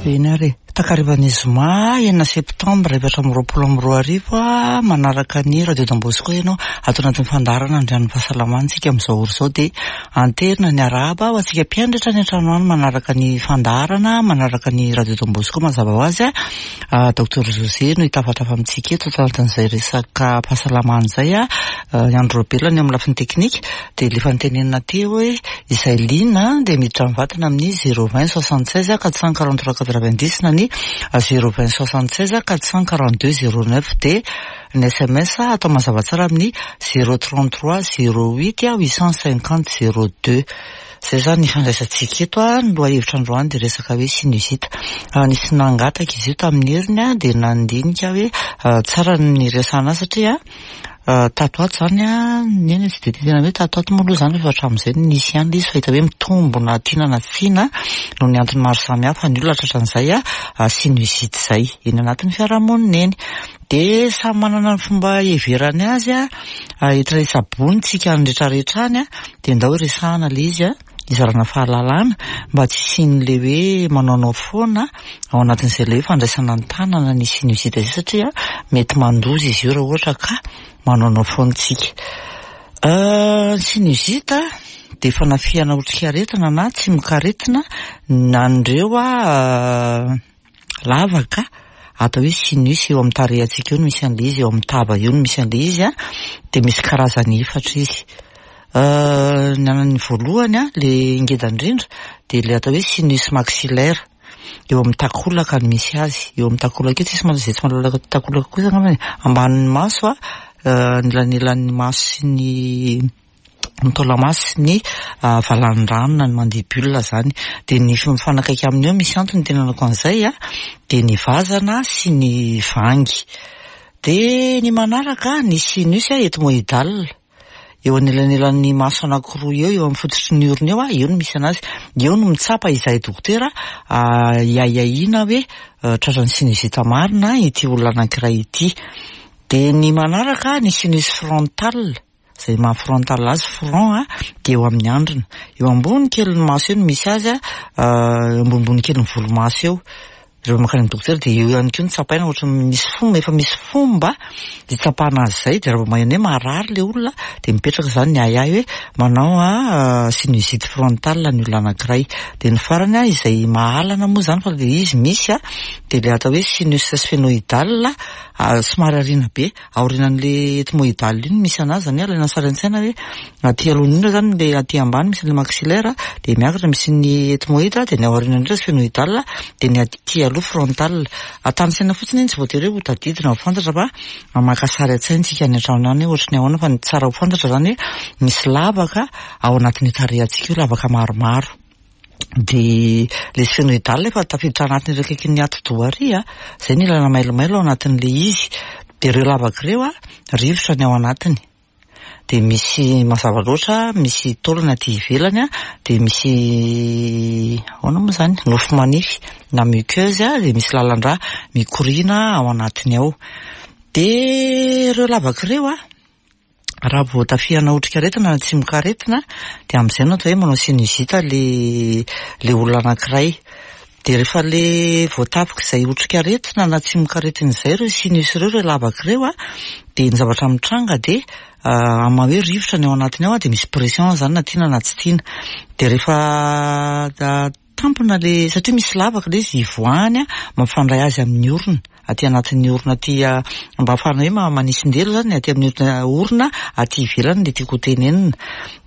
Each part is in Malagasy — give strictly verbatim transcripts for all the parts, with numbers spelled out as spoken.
Eny ary e. Takarivan'ny zoma enina septambra efatra amby roapolo amby roa arivo a, manaraka ny Radio Don Bosco ianao ato anatin'ny fandaharana Andrian'ny Fahasalamana isika amin'izao ora izao, dia anterina ny arahaba ho antsika mpiandratra any an-trano any manaraka ny fandaharana, manaraka ny Radio Don Bosco mazava ho azy a. Docteur José no hitafatafa amintsika eto ato anatin'izay resaka fahasalamana izay a. Ny Andro Robelona eo amin'ny lafiny teknika, dia le fantenenina teo hoe izay liana dia miditra mivantana amin'ny zéro vingt soixante seize quatre cent quarante trois quatre-vingt-dix na ny zéro vingt soixante seize quatre cent quarante deux zéro neuf, dia ny S M S atao mazava tsara amin'ny zéro trente trois zéro huit huit cent cinquante zéro deux. Zay zany ny fandraisantsika eto a. Ny lohahevitra androany dia resaka hoe sinusite. Nisy nangataka izy io tamin'ny heriny a, dia nandinika hoe tsara ny resahana satria tato ato zany a, neny tsy de tena hoe tato ato moa aloha zany, efa hatramin'izay nisy ihany le izy, fa hita hoe mitombo na tiana na tsy tiana noho ny antony maro samihafa ny olona tratran'izay a sinusite zay eny anatin'ny fiarahamonina eny. De samy manana ny fomba iheverany azy a, entina hitsaboana tsika ny rehetrarehetra any a, de ndao resahana le izy a, hizarana fahalalana mba tsy hisian'le hoe manaonao foana ao anatin'izay le hoe fandraisana ny tanana ny sinusite zay, satria mety mandoza izy io raha ohatra ka manaonao foana tsika. Sinusite de fanafihana otrikaretina na tsimokaretina an'ireo a lavaka atao hoe sinus eo amin'ny tarehantsika eo no misy an'le izy, eo amin'ny tava eo no misy an'le izy a, de misy karazany efatra izy. Ny an'ny voalohany a, le ngeda indrindra, de le atao hoe sinus maxillaire, eo amin'ny takolaka no misy azy, eo amin'ny takolaka eo. Tsisy zay tsy mahalalaka takolaka kosa angamba, ambanin'ny maso a, anelanelan'ny maso sy ny ny taolamaso sy ny valandrano na ny mandibule zany, de ny mifanakaiky aminy eo, misy antony tenanako an'izay a, de ny vazana sy ny vangy. De ny manaraka, ny sinus ethmoïdal, eo anelanelan'ny maso anankiroa eo, eo amin'ny fototry ny orona eo a, eo no misy anazy, eo no mitsapa izahay dokotera iahiahiana hoe tratran'ny sinusite marina ity olona anankiray ity. De ny manaraka, ny sinus frontal, zay maha frontal azy, front a, de eo amin'ny andrina, eo ambony kelin'ny maso eo no misy azy a, ambonimbony kelin'ny volomaso eo. Rehefa mankany amin'ny dokotera de eo ihany koa no tsapaina, ohatra misy fomba, efa misy fomba hitsapana azy zay, de raha vao maheno hoe marary le olona de mipetraka zany ny ahiahy hoe manao a sinusite frontal ny olona anankiray. De ny farany a, izay mahalana moa zany fa le izy misy a, de le atao hoe sinus sphénoïdal, somary ariana be, aorianan'le ethmoïdal iny misy anazy zany hoe alaina sary an-tsaina hoe aty aloha indrindra zany le aty ambany misy le maxillaire, de miakatra misy ny ethmoïde, de ny aoriana indrindra sphénoïdal, de ny aty aloha frontal. Atany saina fotsiny iny, tsy voatery hoe ho tadidina ho fantatra fa maka sary an-tsaina tsika any an-trano any hoe ohatry ny ahoana, fa ny tsara ho fantatra zany hoe misy lavaka ao anatin'io tarehantsika io, lavaka maromaro, de le sphénoïdal efa tafiditra anatin'ireo akaikin'ny atidoha ary a, zay ny ilana mailomailo ao anatin'le izy. De ireo lavaka ireo a, rivotra ny ao anatiny, de misy mazava loatra misy taolana aty ivelany a, de misy ahoana moa zany, nofo manify na muqueuse a, de misy lalan-drà mikoriana ao anatiny ao. De ireo lavaka ireo a, raha vao tafihana otrikaretina na tsimokaretina, de amin'izay no atao hoe manao sinusite le le olona anankiray. De rehefa le voatafika izay otrikaretina na tsimokaretina izay ireo sinus ireo, ireo lavaka ireo a, de ny zavatra mitranga de ama hoe rivotra ny ao anatiny ao a, de misy pression zany na tiana na tsy tiana. De rehefa tampona le, satria misy lavaka le izy ivoahany a, mampifandray azy amin'ny orona aty anatin'ny orona aty, mba ahafahana hoe manisindelo zany aty amin'ny orona aty ivelany le tiako ho tenenina,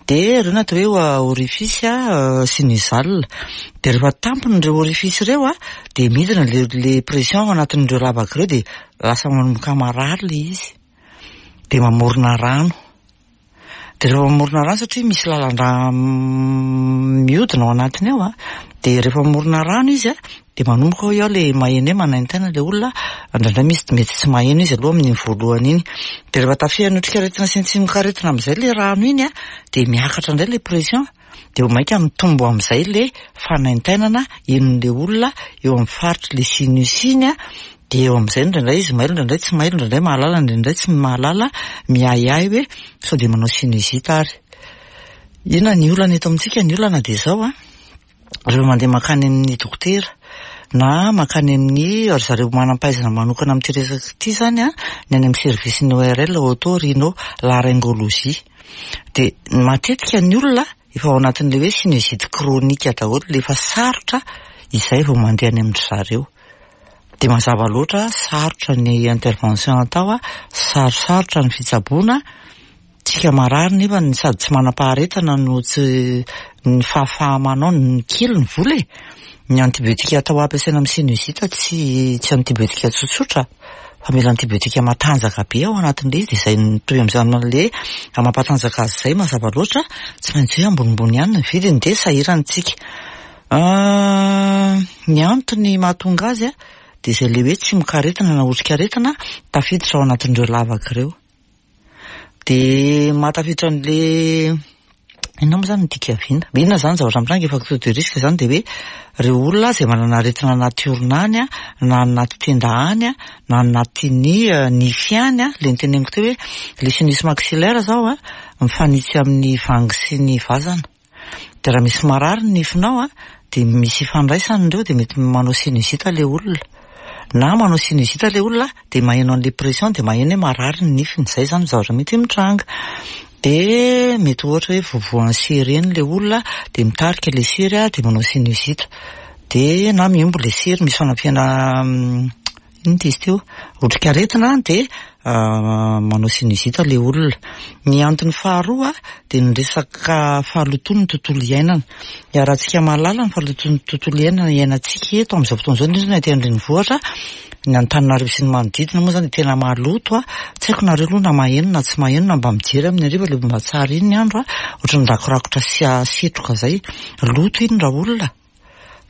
de ireo no atao hoe orifice sinusal. De rehefa tampony ireo orifice ireo a, de midina le le pression ao anatin'ireo lavaka ireo, de lasa manomboka marary le izy, de mamorona rano. De rehefa mamorona rano, satria misy lalan-drà miodina ao anatiny ao a, de rehefa mamorona rano izy a, de manomboka hoe ao le maheno hoe manaintaina le olona. Indraindray misy mety tsy maheno izy aloha amin'iny voalohany iny, de rehefa tafihana otrikaretina sy ny tsimokaretina amin'izay le rano iny a, de miakatra indray le pression, de vao mainka mitombo amin'izay le fanaintainana henon'le olona eo amin'ny faritry le sinus iny a. De eo amin'izay indraindray izy mailo, indraindray tsy mailo, indraindray mahalala, indraindray tsy mahalala, miahiahy hoe sao de manao sinusite. Ary inona ny olana eto amintsika? Ny olana de zao a. Rehefa mandeha mankany amin'ny dokotera na mankany amin'ny ry zareo manam-pahaizana manokana amin'ity resaka ity zany a, ny any amin'ny service ny O R L, oto-rhino laryngologie, dia matetika ny olona efa ao anatin'le hoe sinusite chronique daholo, le efa sarotra izay vao mandeha any amin-dry zareo. Dia mazava loatra, sarotra ny intervention atao a, sarosarotra ny fitsaboana. Tsika marary nefa ny sady tsy manam-paharetana no tsy ny fahafaha-manao ny kely ny vola e. Ny antibiotika atao ampiasaina amin'ny sinusite tsy tsy antibiotika tsotsotra fa mila antibiotika matanjaka be ao anatin'le izy. Dia izay mitovy amin'izany le mampatanjaka azy izay, mazava loatra, tsy maintsy hoe ambonimbony ihany ny vidiny, dia sahirana tsika. Ny antony mahatonga azy a, dia izay le hoe tsimokaretina na otrikaretina tafiditra ao anatin'ireo lavaka ireo, dia mahatafiditra an'le inona moa zany ny dikaviana inona zany zavatra mitranga. Facteur de risque zany dia hoe reo olona zay manana aretina anaty orona any a, na anaty tenda any a, na anatin'ny nify any a. Le niteneniko teo hoe le sinus maxillaire zao a, mifanitsy amin'ny vangy sy ny vazana, de raha misy marary ny nifinao a, de misy ifandraisany ireo, de mety manao sinusite le olona, na manao sinusite le olona de maheno an'le pression, de maheno hoe marary ny nifiny. Zay zany zavatra mety mitranga. De mety ohatra hoe voavoan'ny sery eny le olona, de mitarika le sery a, de manao sinusite, de na miombo le sery, misy fanampiana ino ty izy teo, otrikaretina, de manao sinusite le olona. Ny antony faharoa de ny resaka fahalotoan'ny tontolo iainana. Iarahantsika mahalala ny fahalotoan'ny tontolo iainana iainantsika eto amin'izao fotoana izao, indrindra ny aty an-drenivohitra, ny Antananarivo sy ny manodidina moa zany de tena maloto a. Tsy haiko nareo aloha na maheno na tsy maheno, na mba mijery amin'ny hariva le mba tsara iny ny andro a, ohatran'ny rakorakotra sy setroka zay, loto iny raha olona,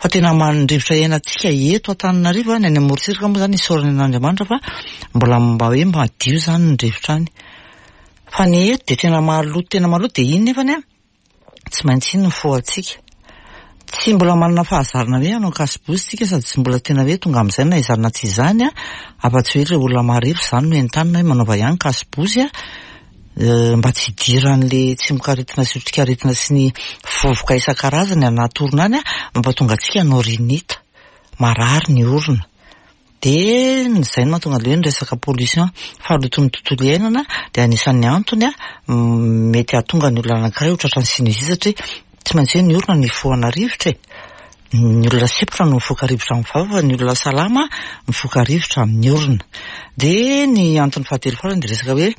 fa tena mandrivotra iainantsika eto Antananarivo. Ny any amorontsiraka moa zany, isaorana an'Andriamanitra fa mbola mba hoe madio zany ny rivotra any, fa ny eto de tena maloto, tena maloto. De iny nefany a, tsy maintsy iny ny fohantsika. Tsy mbola manana fahazarana hoe hanao cache-bouche tsika, sady tsy mbola tena hoe tonga amin'izay na izany na tsy izany a, afa-tsy hoe le olona marefo zany no entanina hoe manaova ihany cache-bouche a, mba tsy hidiran'le tsimokaretina sy otrikaretina sy ny vovoka isan-karazany anaty orona any a, mampatonga antsika hanao rhinite, marary ny orona. De zay no mahatonga le hoe ny resaka pollution, fahalotoan'ny tontolo iainana, de anisan'ny antony a mety hahatonga ny olona anankiray ho tratran'ny sinusite, satria tsy maintsy hoe ny orona no ifohana rivotra e. Ny olona sempotra no mifoka rivotra amin'ny vava, fa ny olona salama mifoka rivotra amin'ny orona. De ny antony fahatelo farany de resaka hoe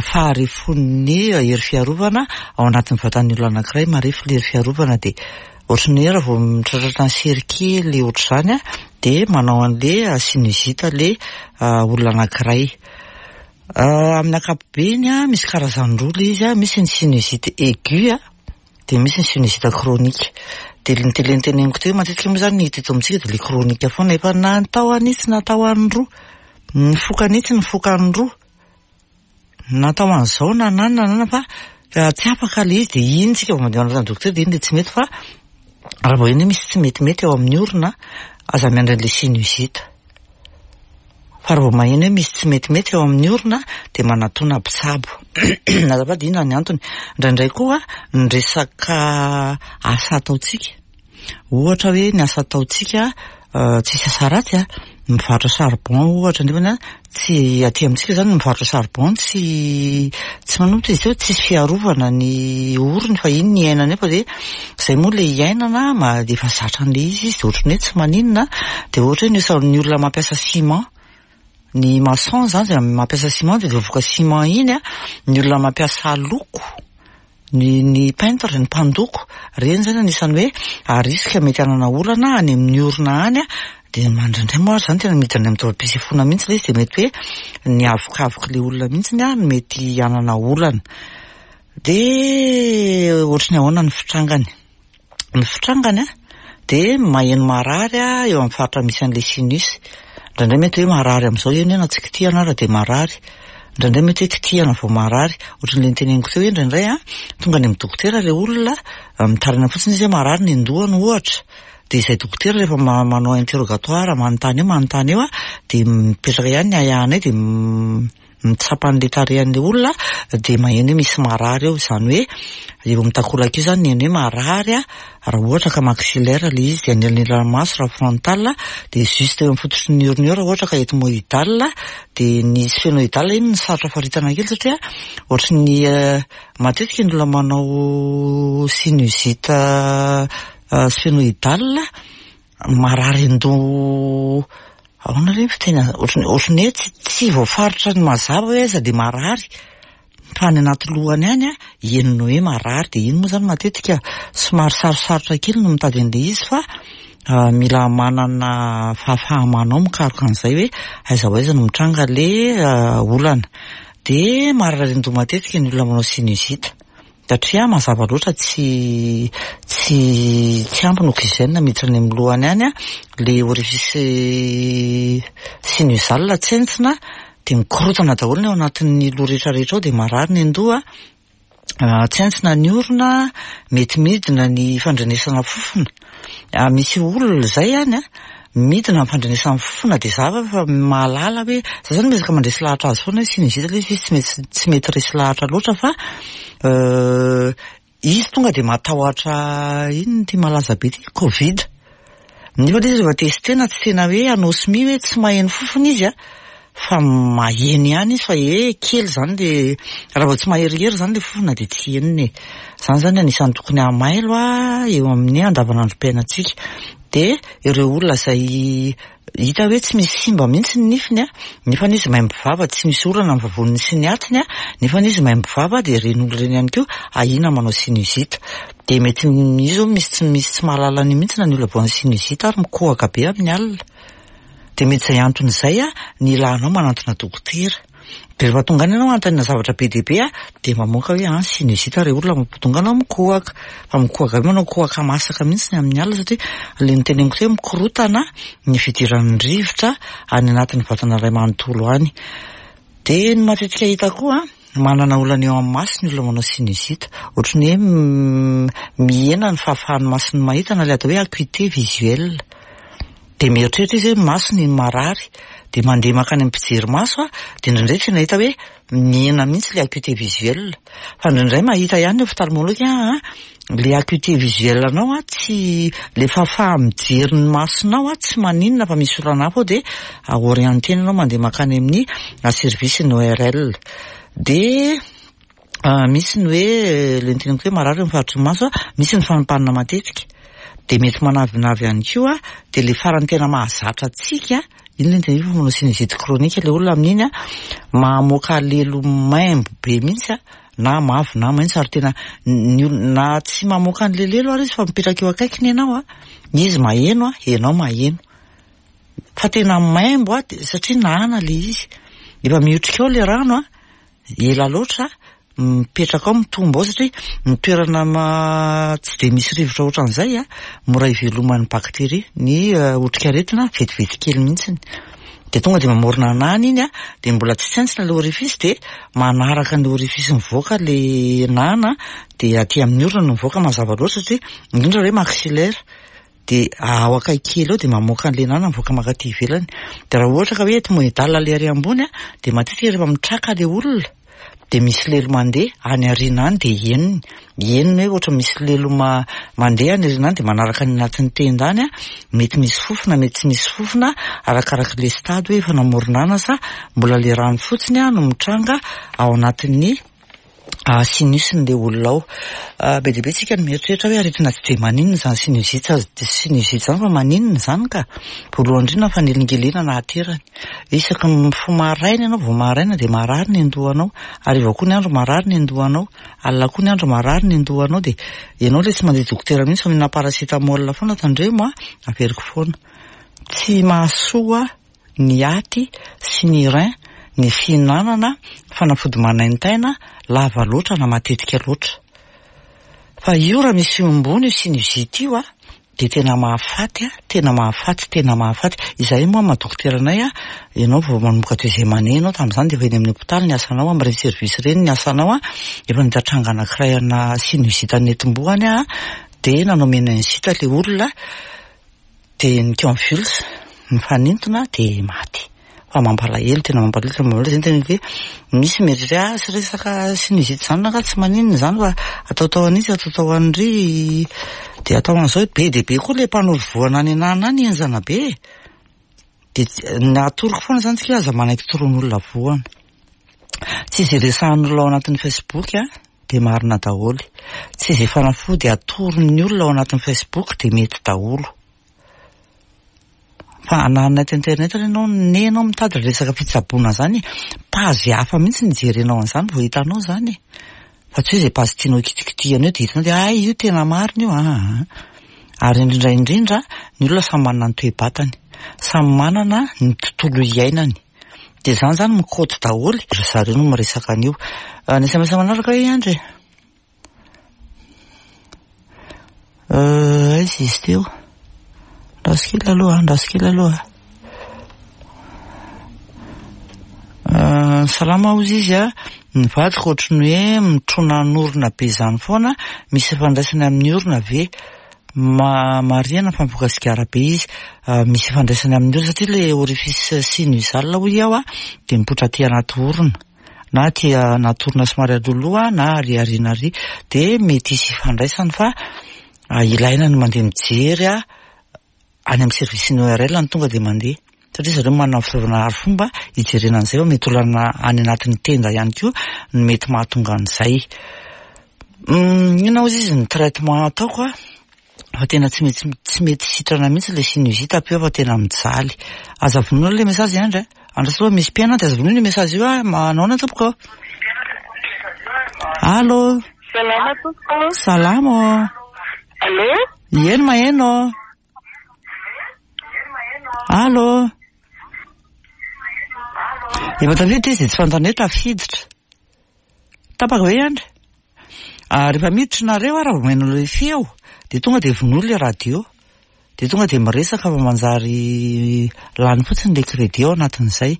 faharefon'ny hery fiarovana ao anatin'ny vatan'ny olona anankiray. Marefo le hery fiarovana, de ohatran'ny hoe raha vao mitratratra ny sery kely ohatr'izany a, de manao an'le sinusite le olona anankiray. Amin'ny ankapobeny a, misy karazany roa le izy a: misy ny sinusite aigu a, de misy ny sinusite chronique. De le niteneniko teo, matetika moa zany ny hita eto amintsika de le chronique foana, efa natao an'itsy, natao an'roa, nifoka an'itsy, nifoka an'roa, natao an'izao na nanina nanana, fa tsy afaka le izy. De iny tsika vao mandeha manatona dokotera, de iny le tsy mety. Fa raha vao iny hoe misy tsy metimety ao amin'ny orona, aza miandry an'le sinusite, fa raha vao maheno hoe misy tsy metimety eo amin'ny orona, de manatona mpitsabo azafady. Inona ny antony? Indraindray koa ny resaka asa ataontsika, ohatra hoe ny asa ataontsika tsisy asa ratsy a, mivarotra charbon ohatra, nefany a tsy aty amintsika zany mivarotra charbon, tsy tsy manomboka izy teo, tsisy fiarovana ny orony, fa iny ny iainana eo, fa de zay moa le iainana ma efa zatra an'le izy izy, de ohatran'ny hoe tsy maninona. De ohatra hoe ny osa- ny olona mampiasa ciment, ny maçon zany zay mampiasa ciment, de vovoka ciment iny a, ny olona mampiasa loko, ny ny peintre, ny mpandoko reny zany, anisan'ny hoe à risque mety hanana olana any amin'ny orona any a. De indraindray moa ary zany tena miditra any amin'ny taovam-pisefoana mihitsy le izy, de mety hoe ny avokavoky le olona mihitsiny a no mety hanana olana. De ohatry ny ahoana ny fitrangany? Ny fitrangany a, de maheno marary a eo amin'ny faritra misy an'le sinus. Indraindray mety hoe marary amin'izao eny hoe na tsy kitihana ara de marary, indraindray mety hoe kitihana vao marary, ohatran'le niteneniko teo hoe indraindray a, tonga any amin'ny dokotera le olona, mitaraina fotsiny izy hoe marary ny andohany ohatra, de izay dokotera rehefa manao interrogatoire, manontany eo, manontany eo a, de mipetraka ihany ny ahiahinay, de mitsapa an'le tarehan'le olona dia maheno hoe misy marary eo, izany hoe eo amin'ny takolaka io izany ny heno hoe marary a, raha ohatra ka maxillaire le izy, dia anelanelan'ny maso raha frontal, dia juste eo amin'ny fototry ny orona eo raha ohatra ka ethmoidal. Dia ny sphénoidal iny no sarotra faritana kely, satria ohatry ny matetika ny olona manao sinusite sphénoidal marary an-doha. Ahoana re ny fiteny, ohatry ohatry ny hoe tsy tsy voafaritra ny mazava hoe aiza dia marary, fa any anaty lohany any a henony hoe marary. Dia iny moa zany matetika somary sarosarotra kely no mitady an'ilay izy, fa mila manana fahafaha-manao mikaroka an'izay hoe aiza ho aiza no mitranga le olana. Dia marary an-doha matetika ny olona manao sinusite, satria mazava loatra tsy tsy tsy ampy ny oxygène miditra any amin'ny lohany any a, le orifice sinusal tsentsina dia mikorotana daholo ny ao anatin'ny loha rehetrarehetra ao, dia marary ny an-doha, tsentsina ny orona, mety midina ny fandrenesana fofona. Misy olona izay any a midina ny fandrenesana fofona, dia za fa mahalala hoe za zany miezaka mandresy lahatra azy foana hoe sinusite ilay izy, izy tsy mety tsy mety resy lahatra loatra, fa izy tonga dia matahotra inona ity malaza be ity, Covid, nefa ilay izy rehefa testena tsy tena hoe anosmie hoe tsy maheno fofona izy a, fa maheno ihany izy, fa e kely zany le, raha vao tsy maherihery zany le fofona dia tsy henony e. Zany zany anisan'ny tokony hamailo a eo amin'ny andavanandrom-piainantsika. Dia ireo olona izay hita hoe tsy misy simba mihitsy ny nifiny a, nefa izy maimbo vava, tsy misy olana ny vavoniny sy ny atiny a, nefa izy maimbo vava, dia ireny olona ireny ihany koa ahiana manao sinusite. Dia mety io zao misy tsy misy tsy mahalala an'io mihitsy na ny olona voan'ny sinusite ary mikohaka be amin'ny alina. Dia mety izay antony izay a ny ilanao manantona dokotera. Dia rehefa tonga any ianao anontaniana zavatra be dia be a, dia mamoaka hoe an sinusite re olona mampatonga anao mikohaka. Fa mikohaka be, manao kohaka masaka mihitsy ny amin'ny alina, satria le noteneniko teo hoe mikorotana ny fidiran'ny rivotra any anatin'ny vatana iray manontolo any. Dia ny matetika hita koa, manana olana eo amin'ny maso ny olona manao sinusite, ohatry ny hoe mihena ny fahafahan'ny masony mahita, na ilay atao hoe acuité visuelle. Dia mieritreritra izy hoe masony no marary, dia mandeha mankany amin'ny mpijery maso a, dia indraindray tena hita hoe mihena mihitsy ilay acuité visuelle, fa indraindray mahita ihany ny ophtalmologue a le acuité visuelle anao a, tsy le fahafaha mijery ny masonao a tsy maninona, fa misy olana hafa ao, dia orientena ianao mandeha mankany amin'ny service ny O R L. Dia misy ny hoe le noteneniko hoe marary eo amin'ny faritry ny maso a, misy ny fanompanana matetika, dia mety manavinavy ihany koa. Dia le farany tena mahazatra antsika iny le noteneniko fa manao sinusite chronique le olona amin'iny a, mamoaka lelo maimbo be mihitsy a, na mavo na maitso, ary tena ny olona na tsy mamoaka an'le lelo ary izy fa mipetraka eo akaikiny ianao a, izy maheno a, ianao maheno fa tena maimbo a, satria nana le izy efa miotrika ao le rano a, ela loatra mipetraka ao, mitombo ao, satria ny toerana ma tsy de misy rivotra ohatran'izay a mora iveloman'ny bakteria, ny otrikaretina vetivety kely mihitsiny, de tonga de mamorona nana iny a, de mbola tsy tsentsina le orifice, de manaraka ny orifice mivoaka le nana, de aty amin'ny orona no mivoaka mazava loatra, satria indrindra hoe maxillaire, de ao akaiky kely eo de mamoaka an'le nana mivoaka mankaty ivelany. De raha ohatra ka hoe ethmoidal le ary ambony a, de matetika rehefa mitraka le olona de misy lelo mandeha any aoriana any, de henony henony hoe ohatra misy lelo ma mandeha any aoriana any, de manaraka ny anatin'ny tenda any a, mety misy fofona, mety tsy misy fofona, arakaraka le stade hoe efa namoronana sa mbola le rano fotsiny a no mitranga ao anatin'ny sinus-n'le olona ao. Be dia be tsika no mieritreritra hoe aretina tsy de maninona zany sinusite sinusite zany, fa maninona zany ka. Voalohany indrindra, fanelingelenana aterany, isaky ny mifoha maraina ianao, vao maraina de marary ny andohanao, hariva koa ny andro marary ny andohanao, alina koa ny andro marary ny andohanao, de ianao le tsy mandeha dokotera mihitsy fa mihinana paracétamol foana. Tandremo a, averiko foana, tsy mahasoa ny aty sy ny rein ny fihinanana fanafody manaintaina lava loatra na matetika loatra, fa io raha misy ombony io sinusite io a, de tena mahafaty a, tena mahafaty, tena mahafaty. Izay moa maha dokotera anay a, ianao vao manomboka deuxième année ianao tamin'izany, de efa eny amin'ny hôpitaly ny asanao, amin'ireny service ireny ny asanao a, efa nahita tranga anankiray ana sinusite nentim-bohany a, de nanao méningite le olona, de niconvulse, nifanintona, de maty. Fa mampalahelo, tena mampalahelo, tena mampalahelo. Zay no teneniko hoe misy mieritreritra hoe ah, tsy resaka sinusite zany na ka tsy maninona zany fa ataotao an'itsy, ataotao an'ry, de atao an'izao. Be dia be koa le mpanoro voana any anana any, enjana be. De ny atoroko foana zany tsika, aza manaiky toroan'olona voana. Tsy izay resahan'olona ao anatin'ny Facebook a de marina daholo. Tsy izay fanafody atoron'ny olona ao anatin'ny Facebook de mety daholo. Fa na anaty internet ianao, ne ianao mitady resaka fitsaboana zany, page hafa mihitsy ny jerenao an'izany vao hitanao zany. Fa tsy hoe izay page tianao kitikitihana eo de hitanao de ay io tena marina io a. Ary indrindra indrindra ny olona samy manana ny toe-batany, samy manana ny tontolo iainany. De zany zany mikaoty daholo, ry zareo no miresaka an'io. Ny S M S manaraka hoe Andry. Aiza izy teo? Andraso kely aloha, andraso kely aloha. Salama hozy izy a, ny vadiko ohatry ny hoe mitronan'orona be zany foana, misy ifandraisany amin'ny orona ve? Ma-, marihana fa mifoka sigara be izy, misy ifandraisany amin'ny orona satria le orifice sinusal hoy aho a, de mipoitra aty anaty orona, na aty anaty orona somary alohaloha na ary aoriana ary, de mety hisy ifandraisany fa ilaina ny mandeha mijery a any amin'ny service ny O R L ny tonga de mandeha. Satria zareo manana fitaovana ary fomba hijerena an'izay fa mety olana any anatin'ny tenda ihany koa no mety mahatonga an'izay. Inona hozy izy ny traitement ataoko a? Fa tena tsy mety, tsy mety sitrana mihitsy le sinusite ampio fa tena mijaly. Aza vonoina le message Andry a. Andraso aloha misy mpihaino dia aza vonoina io message io a. Manaona tompoko? Allô? Salama tompoko. Salama. Allô? Ieno maheno. Allô? Efa tafiditra izy, tsy fantany hoe tafiditra. Tapaka ve Andry? Ary rehefa miditra nareo raha vao maheno ilay feo, dia tonga dia vonoina ilay radio. Dia tonga dia miresaka fa manjary lany fotsiny ilay crédit ao anatin'izay.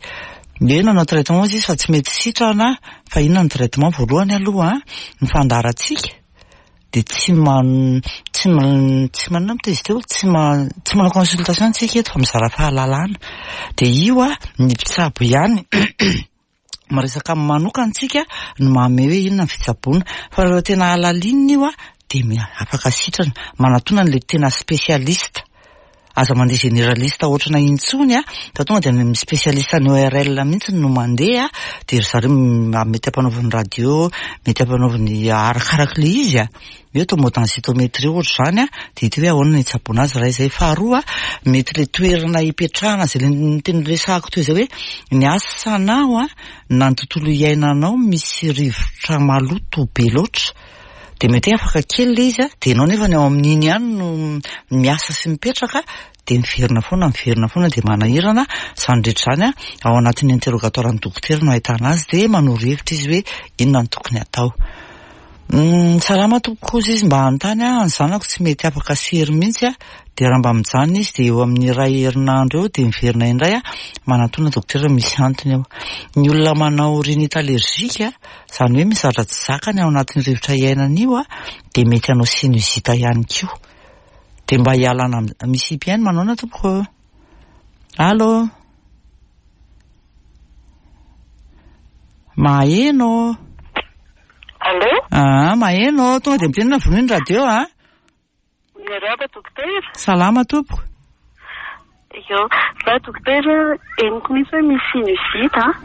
Dia nanao traitement izy fa tsy mety sitrana, fa inona ny traitement voalohany aloha, ny fandaharantsika dia tsy man-, tsy man-, tsy manana moa izy teo, tsy ma-, tsy manao consultation tsika eto fa mizara fahalalana. Dia io a, ny mpitsabo ihany miresaka manokana tsika no manome hoe inona ny fitsaboana. Fa raha tena halalinina io a, dia mi-, afaka sitrana, manatona an'ilay tena spécialiste. Aza mandeha généraliste ohatrana intsony a, fa tonga dia ny spécialiste ny O R L mihitsy no mandeha, dia ry zareo m-, mety ampanaoviny radio, mety ampanaoviny arakarak'ilay izy a. Hoe tomodensitométrie ohatra izany a, dia hita hoe ahoana ny hitsaboana azy raha izay. Faharoa, mety ilay toerana hipetrahana izay le niteny resahako teo izay hoe ny asanao a, na ny tontolo iainanao misy rivotra maloto be loatra, dia mety hoe afaka kely ilay izy a, dia ianao nefa ny ao amin'iny ihany no miasa sy mipetraka, dia miverina foana, miverina foana, dia manahirana. Izany rehetra izany a, ao anatin'ny interrogatoire ny dokotera no ahitana azy, dia manoro hevitra izy hoe inona no tokony atao. Mm, salama tompoko izy, mba hanontany aho, ny zanako tsy mety afaka sery mihitsy a, dia raha mba mijanona izy dia eo amin'ny iray herinandro eo dia miverina indray a, manatona dokotera misy antony eo. Ny olona manao rhinite allergique a, izany hoe misy zavatra tsy zakany ao anatin'ny rivotra iainana io a, dia mety hanao sinusite ihany koa. Dia mba hialana am-, misy mpihaino manaona tompoko? Allô? Maheno? Allô? Ah, maheno, tonga dia mitenena vonoina ny radio a. Miarahaba dokotera. Salama tompoko. Io, za dokotera, henoko mihitsy hoe misy sinusite a,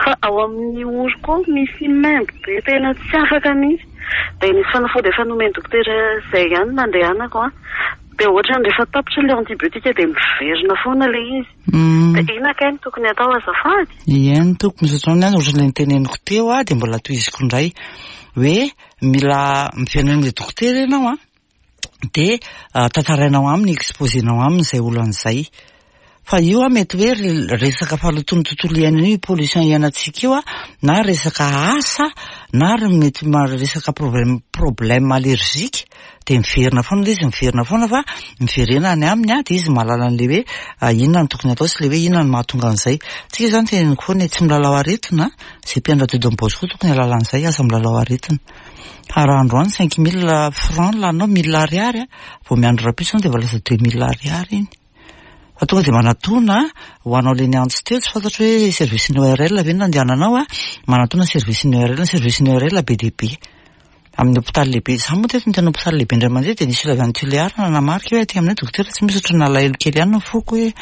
fa ao amin'ny oroko ao misy maimbo be tena tsy afaka mihitsy. Dia nisy fanafody efa nomen'ny dokotera izay ihany nandehanako a. Dia ohatrany rehefa tapitra ilay antibiotika dia miverina foana ilay izy. Mm. Dia inona kay no tokony atao azafady? Ie, ny tokony misaotra anao, ohatran'ilay niteneniko teo a, dia mbola tohiziko indray hoe mila miverina amin'ilay dokotera ianao a, dia, ah, tantarainao aminy, exposenao aminy izay olana izay. Fa io a mety hoe re-, resaka fahalotoan'ny tontolo iainana io, pollution iainantsika io a, na resaka asa, na ry mety ma-, resaka problème, problème allergique, dia miverina foana ilay izy, miverina foana fa miverena any aminy a, dia izy mahalala an'ilay hoe, ah, inona no tokony atao sy ilay hoe inona no mahatonga an'izay. Tsika izany teneniko foana hoe tsy milalao aretina, izay mpiandra didy amin'ny Bosco tokony hahalala an'izay, aza milalao aretina. Fa raha androany cinq mille francs laninao, mille ariary a, vao miandry rahampitso dia efa lasa deux mille ariary iny. Fa tonga dia manatona ho anao le niantso teo, tsy fantatro hoe service ny O R L ve no nandehananao a, manatona service ny O R L, service ny O R L be dia be amin'ny hôpitaly lehibe. Za moa teto ny tena hôpitaly lehibe indray mandeha, dia nisy olona avy any Tuléar nanamarika hoe aty aminay dokotera tsy misy. Ohatry ny nalahelo kely ihany ny foko hoe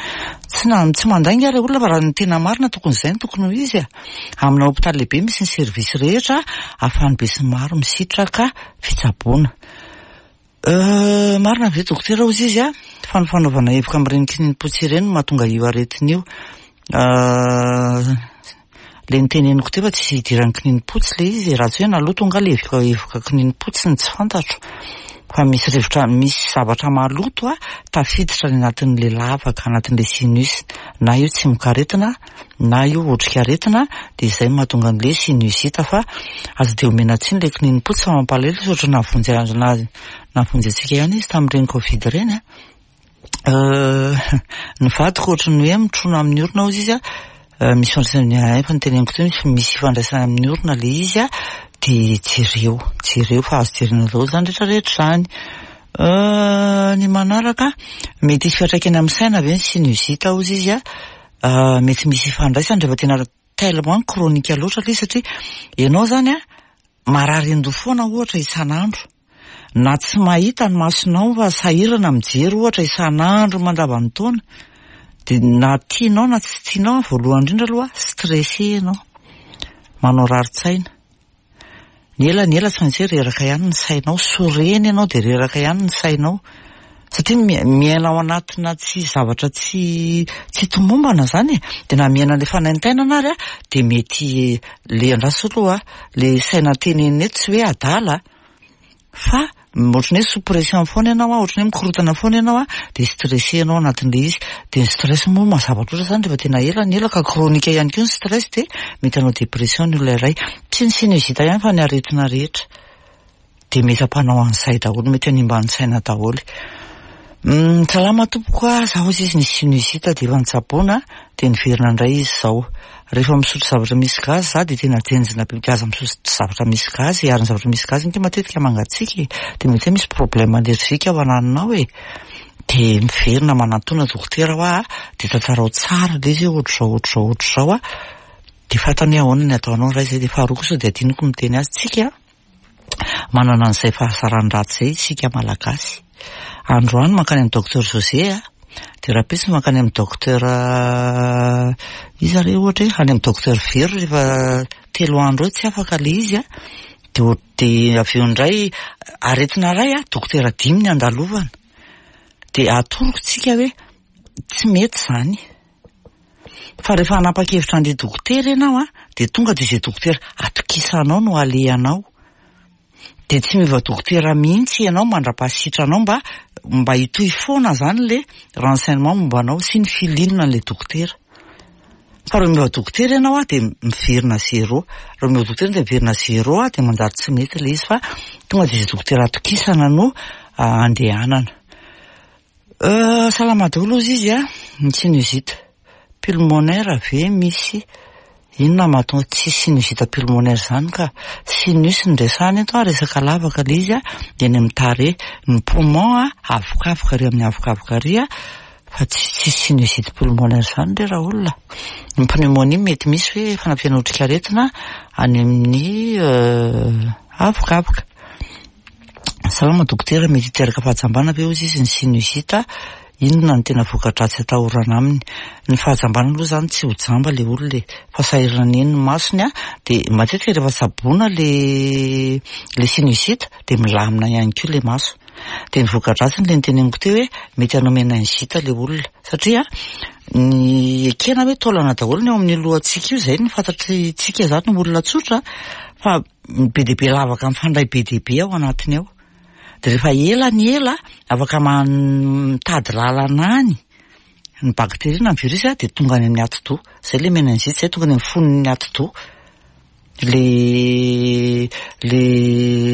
tsy na tsy mandainga ary olona, fa raha ny tena marina tokony izay no tokony ho izy a. Amina hôpitaly lehibe misy ny service rehetra ahafahan'ny be sy maro misitraka fitsaboana. Euh, marina ve dokotera ozy izy a fa ny fanaovana evoka amin'ireny kininimpotsy ireny no mahatonga io aretina io? Euh, le niteneniko teo fa tsy idiran'ny kininimpotsy le izy, raha tsy hoe naloto nga le evoka evoka kininimpotsy ny tsy fantatro, fa misy rivotra, misy zavatra maloto a tafiditra ny anatin'le lavaka, anatin'le sinus, na io tsimokaretina na io otrikaretina, de izay mahatonga an'le sinusite. Fa aza de omena tsiny le kininimpotsy, fa mampalahelo izy, ohatra nahavonjy azy na nahavonjy antsika ihany izy tamin'ireny Covid ireny a. Euh, ny vadiko ohatry ny hoe mitrona amin'ny orona ozy izy a, misy ifandraisany, efa niteneniko teo, misy misy ifandraisany amin'ny orona le izy a, de jereo jereo fa azo jerena daholo zany rehetrarehetra zany. Euh, ny manaraka, mety hisy fiantraikany amin'ny saina ve ny sinusite ozy izy a? Mety misy ifandraisany rehefa tena tellement chronique loatra le izy, satria ianao zany a marary an-doha foana ohatra isan'andro, na tsy mahita ny masonao fa sahirana mijery ohatra isan'andro mandavan'ny taona, de na tianao na tsy tianao, voalohany indrindra aloha stressé ianao, manao rari-tsaina ny ela ny ela, tsy maintsy hoe reraka ihany ny sainao, sorena ianao de reraka ihany ny sainao, satria miaina ao anatina tsy zavatra tsy tsy tomombana zany e, de na miaina le fanaintainana ary a, de mety le andraso aloha le saina tenenina eto tsy hoe adala, fa ohatrany hoe sous pression foana ianao a, ohatrany hoe mikorotana foana ianao a, de stressé ianao anatin'le izy, de ny stress moa mazava loatra zany rehefa tena ela ny ela ka chronique ihany koa ny stress, de mety hanao dépression ny olona iray. Tsy ny sinusite ihany fa ny aretina rehetra de mety ampanao an'izay daholo, mety hanimba ny saina daholo. mm, salama tompoko a, zaho izy izy ny sinusite de efa nitsaboana de niverina indray izy zao. Rehefa misotro zavatra misy gazy za de tena jenjina be. Aza misotro zavatra misy gazy, ary ny zavatra misy gazy nke matetika mangatsiaka e, de mety hoe misy problème allergique ao ananinao e, de miverina manantona dokotera hoa, de tantarao tsara le izy hoe ohatra zao, ohatra zao, ohatra zao a, de fantany hoe ahoana ny ataonao ray zay. De faharoa kosa de adinoko miteny azy, tsika manana an'izay fahasaran-dratsy zay isika malagasy, androany mankany amin'ny docteur José a, de rahampitso mankany amin'ny docteur iza re, ohatra hoe any amin'ny docteur Vero, rehefa telo andro eo tsy afaka le izy a, de de avy eo indray aretina ray a, dokotera dimy ny andalovana, de atoroko tsika hoe tsy mety zany, fa rehefa hanapa-kevitra andeha dokotera ianao a, de tonga de izay dokotera atokisanao no alehanao, de tsy miova dokotera mihitsy ianao mandra-pahasitranao, mba mba hitohy foana zany le renseignement momba anao sy ny filinina an'le dokotera. Fa raha miova dokotera ianao a, de miverina zéro, raha miova dokotera de miverina zéro a, de manjary tsy mety le izy, fa tonga de izay dokotera atokisana no andehanana. euh, salama daholo ozy izy a, ny sinusite pulmonaire ve misy inona mahatonga? Tsy sinusite pulmonaire zany ka, sinus ny resahana eto a, resaka lavaka le izy a, de ny amin'ny tarehy, ny poumon a, avokavoka ary amin'ny avokavoka ary a, fa tsy tsisy sinusite pulmonaire zany re raha olona. Ny pneumonie mety misy hoe fanampiana otrikaretina any amin'ny avokavoka. Salama dokotera, mety hiteraka fahajambana ve ozy izy ny sinusite? Inona ny tena voka-dratsy atahorana aminy? Ny fahajambana aloha zany tsy ho jamba le olona e, fa sahirana eny ny masony a, de matetika rehefa tsaboana le le sinusite de milamina ihany koa le maso. De ny voka-dratsiny le niteneniko teo hoe mety hanao méningite le olona, satria ny ekena hoe taolana daholo ny eo amin'ny lohantsika io, zay ny fantatritsika zany olona tsotra, fa be de be lavaka mifandray be de be ao anatiny ao, de rehefa ela ny ela afaka mitady lalana any ny bakteria na ny virus a, de tonga any amin'ny atidoha, zay le méningite, zay tonga any amin'ny fonon'ny atidoha le le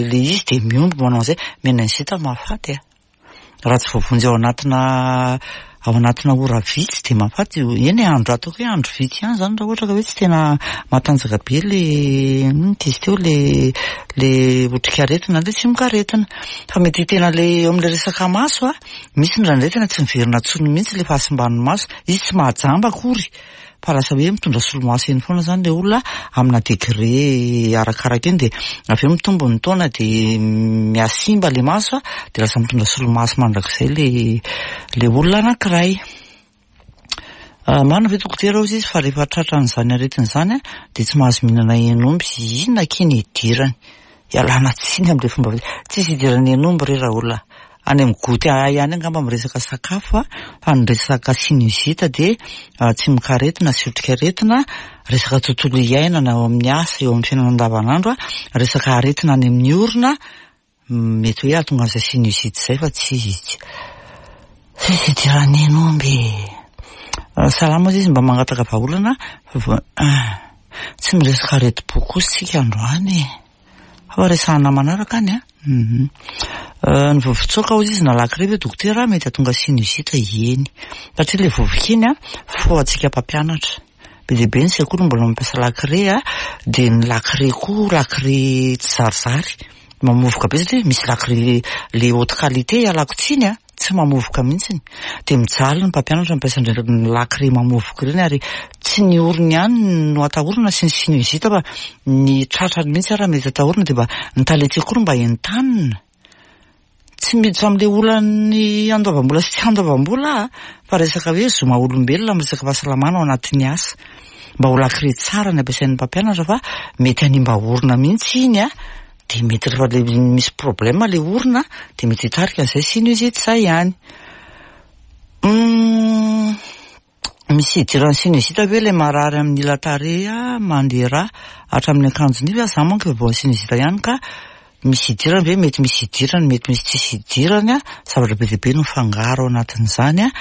le izy, de miombo manao an'izay méningite mahafaty a, raha tsy voavonjy ao anatina ao anatina ora vitsy dia mahafaty. Eny e, andro ataoko hoe andro vitsy ihany zany raha ohatra ka hoe tsy tena matanjaka be le inona izy teo, le le otrikaretina, le tsimokaretina. Fa mety tena le eo amin'le resaka maso a, misy indraindray tena tsy miverina intsony mihitsy le fahasimban'ny maso, izy tsy mahajamba akory fa lasa hoe mitondra solomaso eny foana zany le olona amina degré arakaraka eny, dia avy eo mitombo ny taona dia mihasimba le maso a, dia lasa mitondra solomaso mandrakizay le le olona anankiray. Marina ve dokotera hozy izy fa rehefa tratran'izany aretina izany a dia tsy mahazo mihinana hen'omby? Inona akia ny idirany? Ialana tsiny amin'ilay fomba, tsisy idiran'ny hen'omby re raha olona. Any amin'ny goûter ahay ihany angamba miresaka sakafo a, fa ny resaka sinusite dia tsimokaretina sy otrikaretina, resaka tontolo iainana eo amin'ny asa, eo amin'ny fiainana andavanandro a, resaka aretina any amin'ny orona, mety hoe hahatonga an'izay sinusite izay fa tsy tsisy idiran'ny hen'omby. Salama izy, mba mangataka vahaolana fa tsy miresaka aretim-po kosa isika androany e. Fa resahana manaraka any a. Ny vovon-tsoaka hozy izy na lakile ve dokotera mety hahatonga sinusite? Eny, satria le vovoka iny a fohantsika mpampianatra. Be dia be ny sekoly mbola mampiasa lakile a, dia ny lakile koa lakile tsy zarizary mamovoka be, satria misy lakile le haute qualité, ialako tsiny a, tsy mamovoka mihitsiny, dia mijaly ny mpampianatra mampiasa an'ireny lakile mamovoka ireny, ary tsy ny orony ihany no atahorana sy ny sinusite fa ny tratrany mihitsy ara mety atahorana. Dia mba ny talen-tsekoly mba entanina, tsy miditra amin'ilay olan'ny andoavam-bola sy tsy andoavam-bola fa resaka hoe zo maha olombelona amin'ny resaka fahasalamana ao anatin'ny asa, mba ho lakile tsara ny ampiasain'ny mpampianatra fa mety hanimba orona mihitsy iny a, dia mety rehefa le misy problème le orona dia mety hitarika an'izay sinusite izay ihany. Misy idiran'ny sinusite ve le marary amin'ny ila tarehy mandeha rà hatramin'ny akanjo nify? Za manko efa voan'ny sinusite ihany ka misy idirany ve? Mety misy idirany, mety misy tsisy idirany a, zavatra be dia be no mifangaro ao anatin'izany a.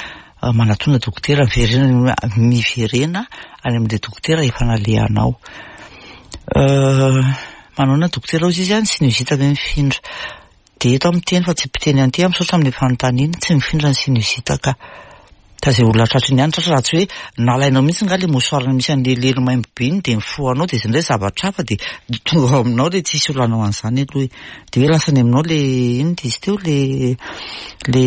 Manatona dokotera, miverena miverena any amin'ilay dokotera efa nalehanao. Manahoana dokotera hozy izy a, ny sinusite ve mifindra? Dia eto aho miteny fa tsy mpiteny an'ity aho, misaotra amin'ilay fanontaniana, tsy mifindra ny sinusite ka. Ka izay olona tratry ny ihany tratra, raha tsy hoe nalainao mihitsy nga le mouchoir misy an'le lelo maimbo be iny dia mifohanao, dia izay indray zavatra hafa dia tonga ao aminao le tsisy olona hanao an'izany aloha e. Dia hoe lasa any aminao le inona izy teo le le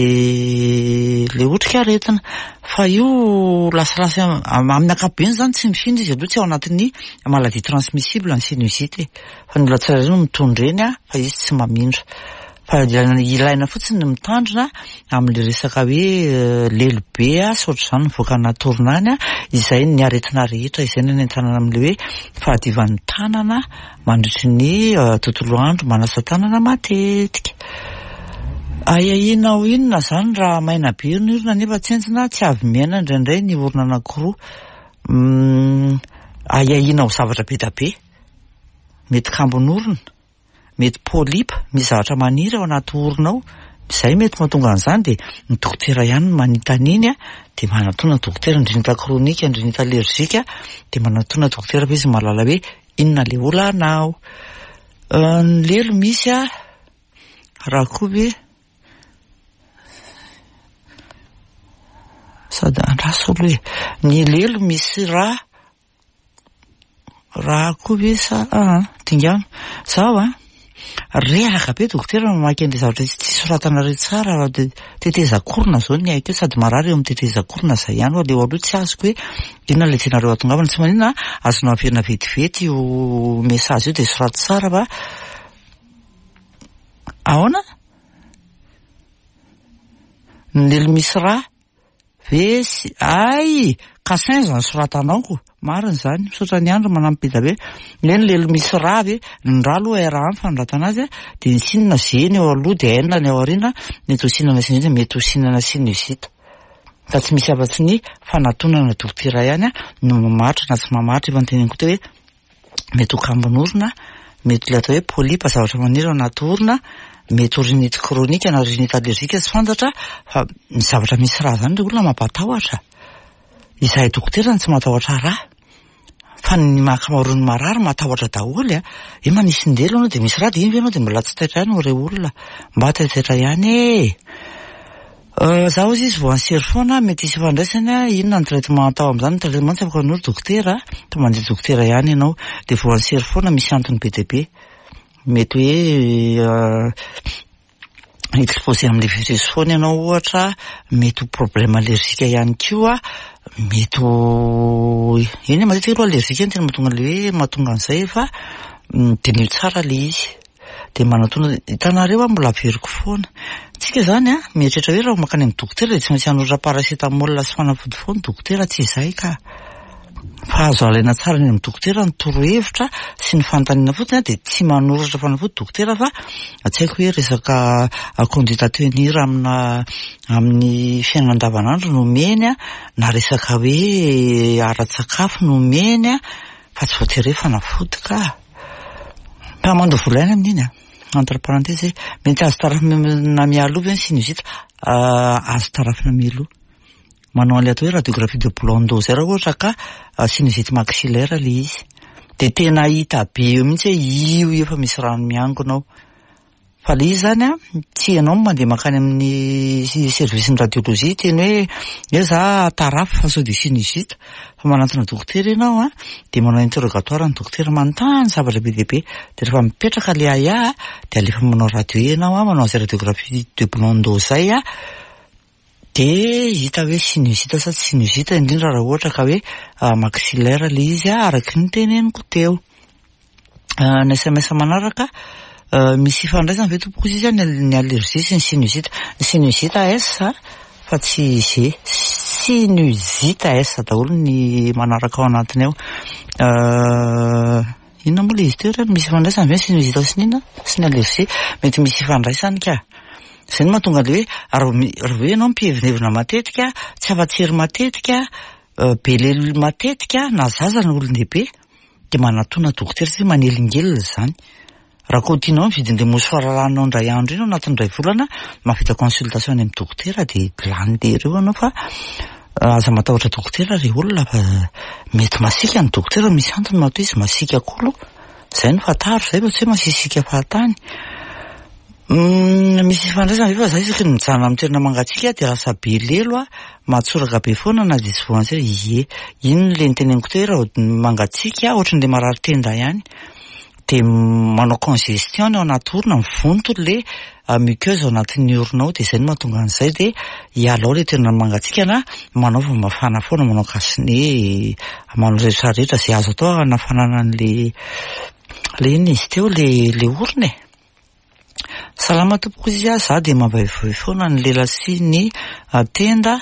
le otrikaretina. Fa io lasalasa amin'ny ankapobeny zany tsy mifindra izy aloha, tsy ao anatin'ny maladie transmissible ny sinusite e. Fa ny olona tsirairay no mitondra eny a, fa izy tsy mamindra. Fa ilaina fotsiny ny mitandrina amin'le resaka hoe lelo be a sy ohatr'izany mivoaka anaty orona any a, izay ny aretina rehetra izay no entanana amin'le hoe fahadiovan'ny tanana mandritry ny tontolo andro, manasa tanana matetika. Ahiahianao inona zany raha maina be ny orona nefa tsentsina tsy avy miaina indraindray ny orona anankiroa? Ahiahianao zavatra be da be, mety kambon'orona, mety polype, misy zavatra maniry ao anaty orona ao, izay mety mahatonga an'izany. Dia ny dokotera ihany no manita an'iny a, dia manatona dokotera, ny rhinite chronique, ny rhinite allergique, dia manatona dokotera fa izy mahalala hoe inona le olana ao. Ny lelo misy a, raha koa ve sady andraso aloha e, ny lelo misy rà raha koa ve sa ah dingano zaho a reraka be dokotera mamaky an'le zavatra tsy soratanareo tsara, raha de tetezan-korona zao ny haiko eo, sady marary eo amin'ny tetezan-korona zay ihany, fa leo aloha tsy azoko hoe inona le tianareo atongavana. Tsy maninona, azonao averina vetivety io message io dia soraty tsara fa ahoana ny lelo misy rà ve sy ay kasin zany soratanao ko, marina zany, misaotra ny andro manampy be da be. Ny hoe ny lelo misy rà ve, ny rà aloha R ny fanoratana azy a, dia ny sinina G ny eo aloha dia N ny ao aoriana, mety ho sinana sinusite, mety ho sinana sinusite. Fa tsy misy afa-tsy ny fanatonana dokotera ihany a no mamaritra na tsy mamaritra. Efa noteneniko teo hoe mety ho kambon'orona, mety ilay atao hoe polype, zavatra maniry ao anaty orona, mety ho rhinite chronique na rhinite allergique tsy fantatra, fa ny zavatra misy rà zany le olona mampatahotra. Izahay dokotera no tsy matahotra rà, fa ny ankamaroan'ny marary matahotra daholo a. Hoe manisin-delo ianao dia misy rà, dia iny ve ianao dia mbola tsy taitra ihany re olona, mba taitaitra ihany e. Za hozy izy voan'ny sery foana, mety hisy ifandraisany a, inona ny traitement atao amin'izany? Ny traitement tsy afaka hanoro dokotera, fa mandeha dokotera ihany ianao. Dia voan'ny sery foana misy antony be dia be. Mety hoe exposé amin'ilay virus foana ianao ohatra, mety ho problème allergique ihany koa, mety ho eny matetika aloha allergique no tena mahatonga an'ilay hoe mahatonga an'izay fa diniho tsara ilay izy. Dia manatona, hitanareo aho mbola averiko foana. Tsika zany a, mieritreritra hoe raha mankany amin'ny dokotera dia tsy maintsy hanoratra paracétamol sy fanafody foana dokotera, tsy izay ka. Fa azo alaina tsara any amin'ny dokotera ny torohevitra sy ny fanontaniana fotsiny a, dia tsy manoratra fanafody dokotera fa tsy haiko hoe resaka conduite à tenir amina amin'ny fiainana andavanandro no omeny a, na resaka hoe ara-tsakafo no omeny a, fa tsy voatery hoe fanafody ka. Fa mandoa vola ihany amin'iny a. Entre parenthèse, mety azo tarafina mialoha ve ny sinusite? Azo tarafina mialoha. Manao an'ilay atao hoe radiographie de blanc zay raha ohatra ka sinusite maxillaire ilay izy. Dia tena hita be eo mihitsy hoe io efa misy rano miangona ao. Fa ilay izy zany a, tsy ianao no mandeha mankany amin'ny service ny radiologie teny hoe hoe za tarafo fa sao dia sinusite. Fa manantona dokotera ianao a, dia manao interrogatoire ny dokotera, manontany zavatra be dia be. Dia rehefa mipetraka ilay ahiahy dia alefa manao radio ianao a, manao an'izay radiographie de blanc zay a, dia hita hoe sinusite sa tsy sinusite, indrindra raha ohatra ka hoe maxillaire ilay izy a, araky ny teneniko teo. Ny S M S manaraka, misy ifandraisany ve tompoko izy ny ny allergie sy ny sinusite? Ny sinusite S fa tsy G. Sinusite S daholo ny manaraka ao anatiny ao. Inona moa ilay izy teo reny? Misy ifandraisany ve ny sinusite sy ny inona? Sy ny allergie? Mety misy ifandraisany ka. Izay no mahatonga ilay hoe raha mi- raha hoe ianao mpihevinevina matetika, tsy afa-tsery matetika, be lelo matetika, na zaza na olon-dehibe, dia manatona dokotera satria manelingelina izany. Raha koa tianao ny vidin'ilay mouchoir laninao indray andro iny ao anatin'ny iray volana, mahavita consultation any amin'ny dokotera dia lany lery eo ianao fa aza matahotra dokotera ry olona fa mety masiaka ny dokotera, misy antony matoa izy masiaka koa aloha. Izay no fantaro izay fa tsy hoe masisika fahatany. Misy ifandraisana ve fa za isaky ny mijanona amin'ny toerana mangatsiaka dia lasa be lelo a, mahatsoraka be foana na dia tsy voan'ny sery. Ie, iny le niteneniko teo hoe raha mangatsiaka ohatran'ilay marary tenda ihany. Dia manao congestion ny ao anaty orona, mivonto le muqueuse ao anatin'ny orona ao, dia izay no mahatonga an'izay. Dia hialao ilay toerana mangatsiaka na manaova mafana foana, manao cache-nez, manao rehetra rehetra izay azo atao hanafanana an'ilay ilay inona izy teo, ilay ilay orona e. Salama tompoko izy a, za dia mavaivay foana ny lela sy ny tenda,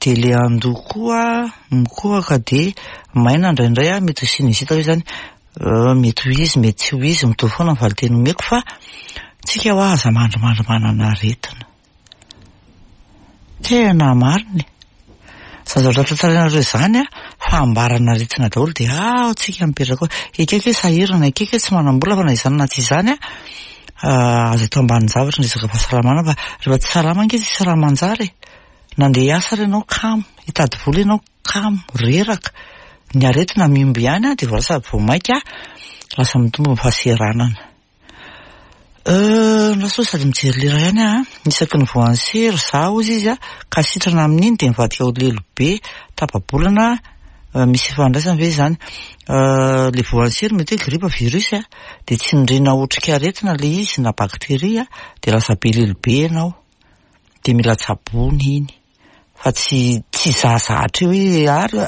dia ilay andoha koa mikohaka dia maina indraindray a, mety ho sinusite ve izany? Mety ho izy, mety tsy ho izy, mitovy foana ny valinteny omeko fa tsika hoa aza mandrimandry manana aretina. Tena marina e. Izany zavatra tantarainareo izany a, fa ambarana aretina daholo dia ao tsika mipetraka ao. Ekeko hoe sahirana, ekeko hoe tsy manam-bola fa na izany na tsy izany a, azo atao ambanin'ny zavatra ny resaka fahasalamana fa rehefa tsy salama ange tsisy raha manjary e. Nandeha hiasa ary ianao kamo, hitady vola ianao kamo, reraka. Ny aretina mihombo ihany a, dia vao lasa vao mainka lasa mitombo ny fahaseranana. Lasa sady mijery lera ihany aho, isaky ny voan'ny sery za hozy izy a, ka sitrana amin'iny dia mivadika ho lelo be, tapa-bolana, misy ifandraisany ve izany? Ilay voan'ny sery mety hoe gripa virus a, dia tsindriana otrikaretina ilay izy na bakteria dia lasa be lelo be ianao. Dia mila tsaboina iny. Fa tsy tsy zahazahatra eo hoe ary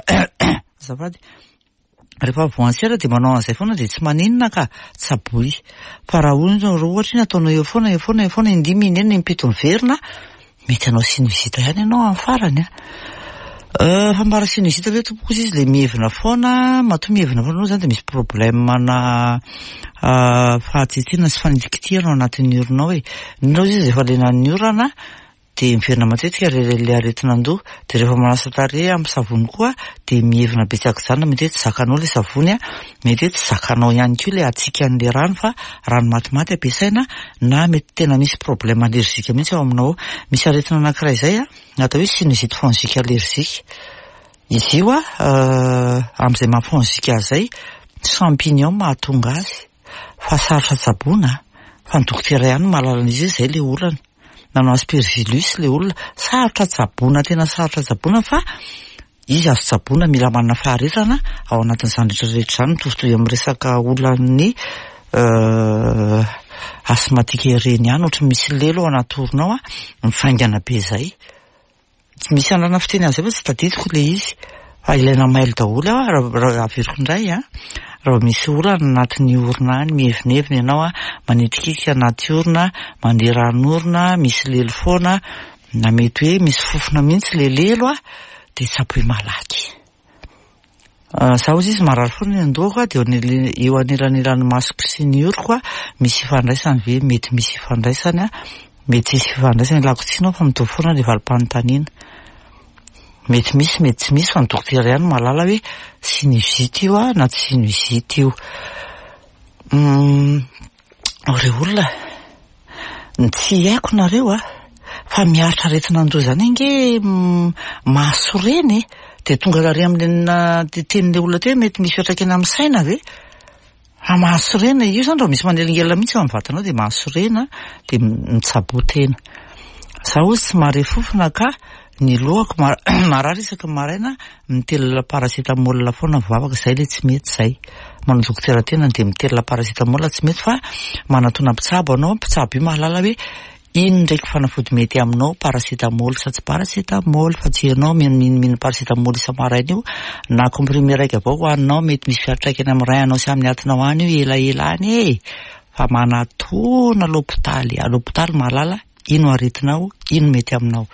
azafady. Rehefa voan'ny sery dia manao an'izay foana dia tsy maninona ka tsaboy. Fa raha ohatra ohatra iny ataonao eo foana, eo foana, eo foana, indimy, inenina, impito miverina, mety hanao sinusite ihany ianao amin'ny farany a. Fambara sinusite ve tompoko izy ilay mihevina foana, matoa mihevina foana aloha izany dia misy problème na fahatsitsiana sy fanitikitihana ao anatin'ny orona ao e. Indrindra izy efa lenan'ny orana dia miverina matetika ilay aretina andoha, dia rehefa manasa tarehy amin'ny savony koa dia mihevina be tsy ankijanona, mety hoe tsy zakanao ilay savony a, mety hoe tsy zakanao ihany koa ilay hatsiakan'ilay rano fa rano matimaty ampiasaina, na mety tena misy problème allergique mihitsy ao aminao ao. Misy aretina anankiray izay a, atao hoe sinusite fongique allergique. Izy io a, amin'izay maha fongique azy izay, champignon mahatonga azy, fa sarotra tsaboina, fa ny dokotera ihany no mahalala an'izy io, izay ilay olana. Nanao aspergillus le olona. Sarotra tsaboina, tena sarotra tsaboina, fa izy azo tsaboina, mila manana faharetana ao anatin'izany rehetrarehetra izany, mitovitovy amin'ny resaka olan'ny asthmatique ireny ihany, ohatry misy lelo ao anaty orona ao a, mivaingana be zay. Tsy misy anarana fiteny an'izay fa tsy tadidiko le izy. Fa ilaina mailo daholo aho, raha averiko indray a, raha vao misy olana anatin'ny orona any, mievinevina ianao a, manitrikitrika anaty orona, mandeha ran'orona, misy lelo foana, na mety hoe misy fofona mihitsy le lelo a, dia tsaboy malaky. Zaho ozy izy marary foana ny andohako a, dia eo anelanelan'ny masoko sy ny oroko a, misy ifandraisany ve? Mety misy ifandraisany a, mety tsisy ifandraisany, ilako tsiny aho fa mitovy foana le valim-panontaniana. Mety misy, mety tsy misy, fa ny dokotera ihany mahalala hoe sinusite io a na tsy sinusite io. Ireo olona, ny tsy haiko nareo a, fa miaritra aretina andoha zany ange mahasorena e. Dia tonga ary amin'le tenin'le olona teo hoe mety misy fiantraikany amin'ny saina ve? Raha mahasorena io zany, raha misy manelingelina mihitsy eo amin'ny vatanao dia mahasorena, dia mitsaboa tena. Zaho ozy tsy mahare fofona ka ny lohako marary isaky ny maraina, mitelina paracétamol foana vavaka, zay le tsy mety zay. Manao dokotera tena dia mitelina paracétamol tsy mety, fa manatona mpitsabo anao, mpitsabo io mahalala hoe ino ndraiky fanafody mety aminao, paracétamol sa tsy paracétamol, fa tsy ianao minomino paracétamol isa-maraina io, na comprimé raiky avao hohaninao, mety misy fiantraikany amin'ny rein anao sy amin'ny atinao any io elaela any e. Fa manatona l'hôpitaly, à l'hôpitaly mahalala ino aretinao, ino mety aminao.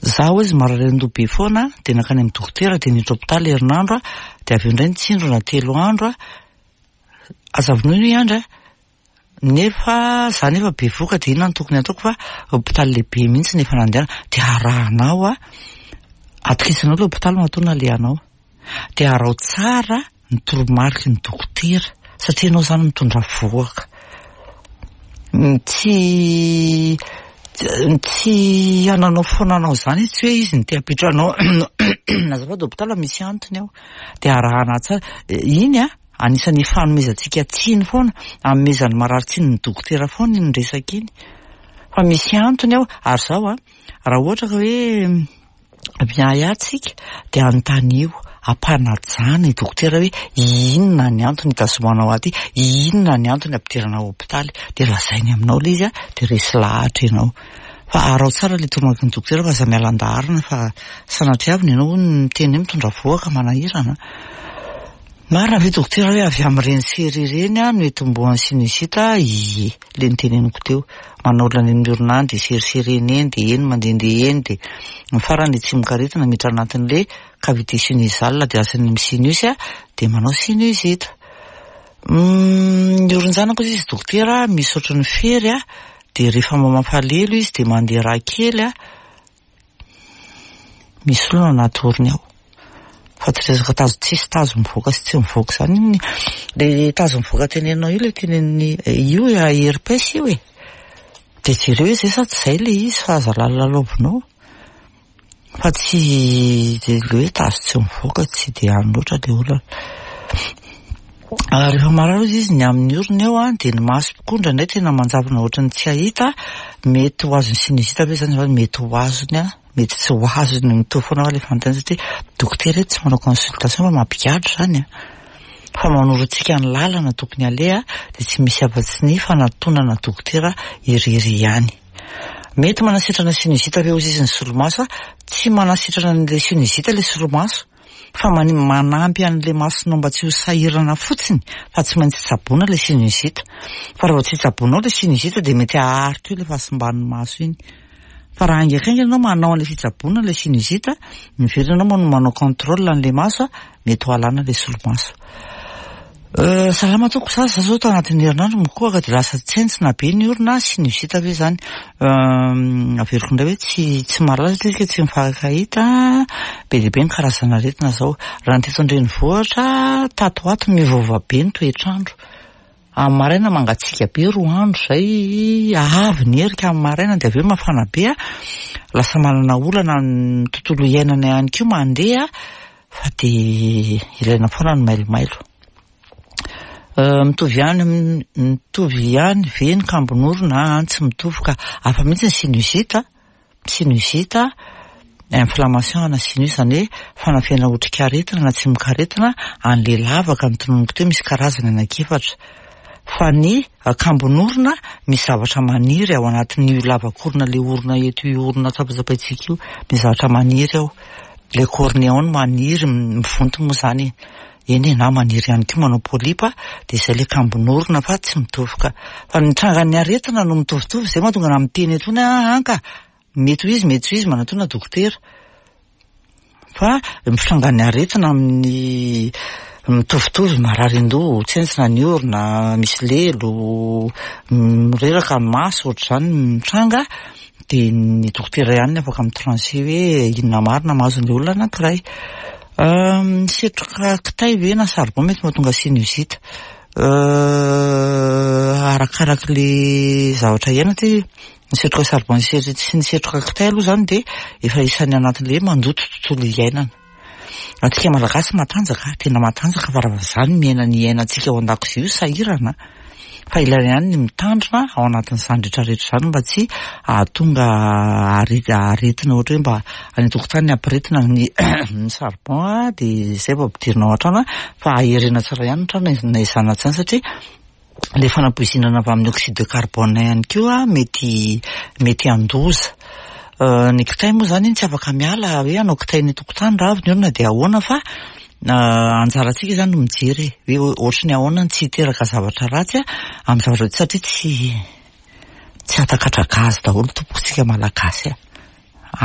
Zaho izy marary andoha be foana, dia nankany amin'ny dokotera, dia niditra hôpitaly herinandro a, dia avy eo indray nitsindrona telo andro a. Aza vonoina io andry a. Nefa za nefa bevoka, dia inona no tokony ataoko, fa hôpitaly lehibe mihitsy nefa nandehana, dia arahanao a, atokisanao le hôpitaly matoa nalehanao. Dia araho tsara ny toromariky ny dokotera, satria ianao zany mitondra vohoka. Tsy tsy hananao foana anao zany izy, tsy hoe izy no te hampiditra anao azafady hôpitaly, misy antony ao. Dia arahana tsara iny a, anisan'ny fanomezantsika tsiny foana, anomezan'ny marary tsiny ny dokotera foana iny resaka iny. Fa misy antony ao, ary zao a, raha ohatra ka hoe miahy atsika, dia anontanio ampanajana i dokotera hoe inona ny antony hitazomanao aty, inona ny antony ampidirana hôpitaly, dia lazainy aminao le izy a, dia resy lahatra ianao. Fa araho tsara le toromariky ny dokotera, fa aza miala an-daharana, fa sanatriavina ianao miteny hoe mitondra vohoka manahirana. Marina ve dokotera hoe avy amin'ireny sery ireny a no itomboan'ny sinusite? Ie, le niteneniko teo. Manao olona any amin'ny orona any, dia seriserena eny, dia eny mandehandeha eny, dia ny farany tsimokaretina miditra anatin'le cavité sinusale, dia lasa any amin'ny sinus a, dia manao sinusite. Ny oron-janako izy dokotera misy ohatran'ny fery a, dia rehefa mamafa lelo izy dia mandeha rà kely a, misy olona anaty orony ao. Fa tsy resaka tazo, tsisy tazo mivoaka sy tsy mivoaka zany iny. Le tazo mivoaka teneninao io, le teneniny io herpès io e. Dia jereo hoe zay sa tsy zay le izy, fa aza lalilalaovinao. Fa tsy le hoe tazo tsy mivoaka tsy dia any loatra le olana. Rehefa marary izy ny amin'ny orona eo a, dia ny maso koa indraindray tena manjavona ohatran'ny tsy hahita, mety ho azon'ny sinusite ve zany? Mety ho azony a, mety tsy ho azony, mitovy foana le fanontaniana, satria dokotera tsy manao consultation fa mampigadra zany a. Fa manoro antsika ny lalana tokony aleha, dia tsy misy afa-tsy ny fanatonana dokotera irery ihany. Mety manasitrana sinusite ve ozy izy ny solomaso? Tsy manasitrana an'le sinusite le solomaso, fa manampy an'le masonao mba tsy ho sahirana fotsiny, fa tsy maintsy tsaboina le sinusite. Fa raha vao tsy tsaboinao le sinusite dia mety haharitra eo le fahasimban'ny maso iny. Fa raha haingankaingana ianao manao an'le fitsaboana le sinusite, miverina ianao manao contrôle an'le maso, mety ho alana le solomaso. Salama tompoko, za za zao tao anatin'ny herinandro mikohaka dia lasa tsentsina be ny orona, sinusite ve zany? Averiko indray hoe tsy tsy mahalala satria tsy mifankahita, be dia be ny karazana aretina zao. Raha ny teto an-drenivohitra tato ho ato miovaova be ny toetr'andro. Amin'ny maraina mangatsiaka be roa andro zay, avy ny erika amin'ny maraina dia avy eo mafana be a, lasa manana olana ny tontolo iainana ihany koa mandeha, fa dia ilaina foana ny mailomailo. Mitovy ihany mitovy ihany ve ny kambon'orona? Tsy mitovy ka, hafa mihitsy ny sinusite, sinusite inflammation ana sinus, zany hoe fanafihana otrikaretina na tsimokaretina an'le lavaka notononiko teo, misy karazany anankiefatra. Fa ny kambon'orona misy zavatra maniry ao anatin'io lavak'orona, le orona eto io, orona tsapatsapaintsika io, misy zavatra maniry ao, le cornée ao no maniry, mivonto moa zany eny e, na maniry ihany koa manao polype, de izay le kambon'orona, fa tsy mitovy ka. Fa ny trangan'ny aretina no mitovitovy, zay mahatonga na miteny etony anka mety ho izy, mety tsy ho izy, manatona dokotera. Fa ny fitrangan'ny aretina amin'ny mitovitovy, marary an-doha, tsentsina ny orona, misy lelo, mireraka ny maso, ohatr'izany mitranga, de ny dokotera ihany no afaka mitrancher hoe inona marina mahazo ny olona anankiray. Setroka kitay ve na charbon mety mahatonga sinusite? Arakarak'le zavatra iainana ty, ny setroka charbon sy ny setroka kitay aloha zany de efa isan'ny anatin'le hoe mandoto tontolo iainana. Antsika Malagasy matanjaka, tena matanjaka, fa raha zany miaina ny iainantsika ao an-dakozia io sahirana, fa ilaina ihany ny mitandrina ao anatin'izany rehetrarehetra izany mba tsy hahatonga aretina, ohatra hoe mba any an-tokotany ampiretina ny ny charbon de zay vao ampidirina ao an-trano, fa aherena tsara ihany ny trano na izany na tsy izany, satria le fanapoizinana avy amin'ny oxyde de carbone ihany koa mety mety handoza. Ny kitay moa zany iny tsy afaka miala hoe hanao kitay ny tokotany raha avy ny olona de ahoana, fa anjarantsika zany no mijery hoe ohatry ny ahoana ny tsy hiteraka zavatra ratsy amin'ny zavatra, satria tsy tsy hatakatra gaz daholo tompontsika Malagasy a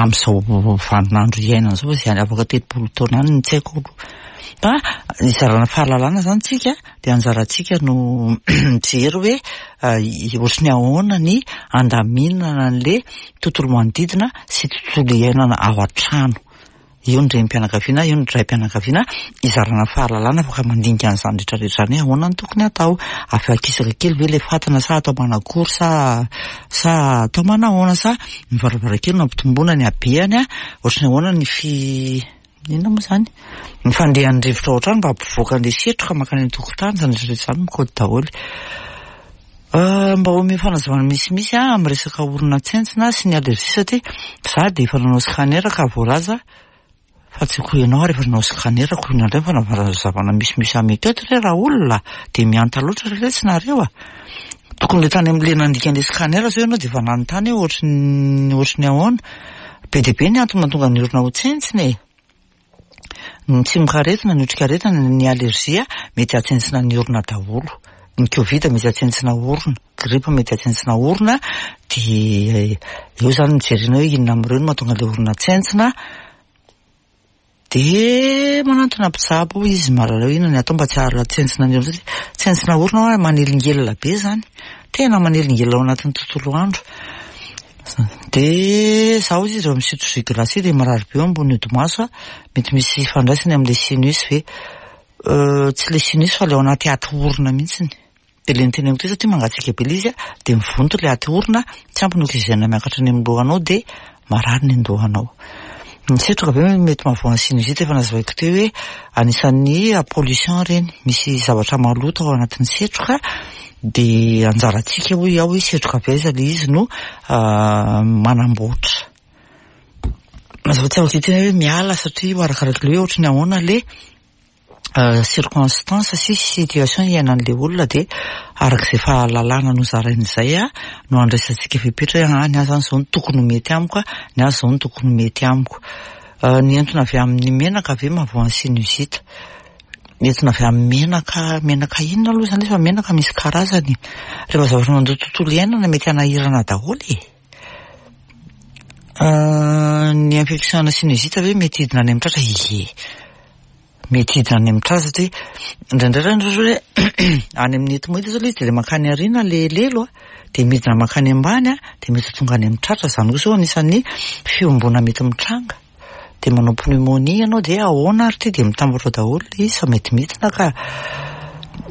amin'izao vaninandro iainana zao, fa zay afaka telopolo taona any ny tsy haiko aloha. Fa izarana fahalalana zany tsika, de anjarantsika no mijery hoe ohatry ny ahoana ny andaminana an'le tontolo manodidina sy tontolo iainana ao an-trano. Io ny renim-pianakaviana, io ny ray-pianakaviana, izarana fahalalana, afaka mandinika an'izany rehetrarehetra zany hoe ahoana no tokony atao, afakisaka kely ve le fatana sa atao manakory sa sa atao manahoana, sa ny varavarankely no ampitomboana ny habehany, a ohatry ny ahoana ny fi inona moa zany ny fandehan'ny rivotra ao an-trano mba hampivoaka an'le setroka mankany an-tokotany, zany rehetrarehetra zany mikaoty daholo. Mba omeo fanazavana misimisy a amin'ny resaka orona tsentsina sy ny allergie, satria za de efa nanao scanner ka voalaza fa tsy ko ianao ary efa nanao scanner ko inona indray fanazavana misimisy ameko eto re raha olona de mihanta loatra re tsy nareo a. Tokony le tany amin'le nandika an'le scanner zao ianao de efa nanontany hoe ohatry ny ohatry ny ahoana. Be dia be ny antony mahatonga ny orona ho tsentsina e. Ny tsimokaretina, ny otrikaretina, ny allergie mety hahatsentsina ny orona daholo. Ny Covid mety hahatsentsina orona, grippe mety hahatsentsina orona, de eo zany mijerena hoe inona amin'ireo no mahatonga le orona tsentsina. De manantona mpitsabo izy mahalala hoe inona ny atao mba tsy hahatsentsina ny orona, satria tsentsina orona hoa manelingelina be zany, tena manelingelina ao anatin'ny tontolo andro. De zaho izy rehefa misotro jus glacé de marary be eo ambony hodi-maso a, mety misy ifandraisany amin'le sinus ve? Tsy le sinus fa le ao anaty aty orona mihitsiny. De le niteneniko teo, satria mangatsiaka be le izy a, de mivonto le aty orona, tsy ampy ny oxygène miakatra any amin'ny lohanao de marary ny an-dohanao. Ny setroka ve mety mahavoa ny sinusite? Efa nazavaiko teo hoe anisan'ny pollution reny, misy zavatra maloto ao anatin'ny setroka, de anjarantsika hoy aho hoe setroka avy aiza le izy no manamboatra. Mazava tsy afaka hiteny hoe miala, satria io arakarak'le hoe ohatry ny ahoana le circonstance sy situation iainan'le olona, de arak'izay fahalalana nozarain'izay a no andraisantsika fepetra hoe ah ny ahy zany zao no tokony ho mety amiko, ny ahy zao no tokony ho mety amiko. Ny entona avy amin'ny menaka ve mahavoa ny sinusite? Entona avy amin'ny menaka, menaka inona aloha zany? Fa menaka misy karazany. Rehefa zavatra mandoto tontolo iainana mety hanahirana daholo e. Ny infection na sinusite ve mety hidina any amin'ny tratra? Ie, mety hidina any amin'ny tratra, satria indraindray reny zao hoe any amin'ny ethmoïde zao le izy, de le mankany aoriana le lelo a, de midina mankany ambany a, de mety ho tonga any amin'ny tratra. Zany koa zao anisan'ny fiombona mety mitranga, de manao pneumonie ianao, de ahoana ary ty, de mitambatra daholo le izy fa mety midina ka.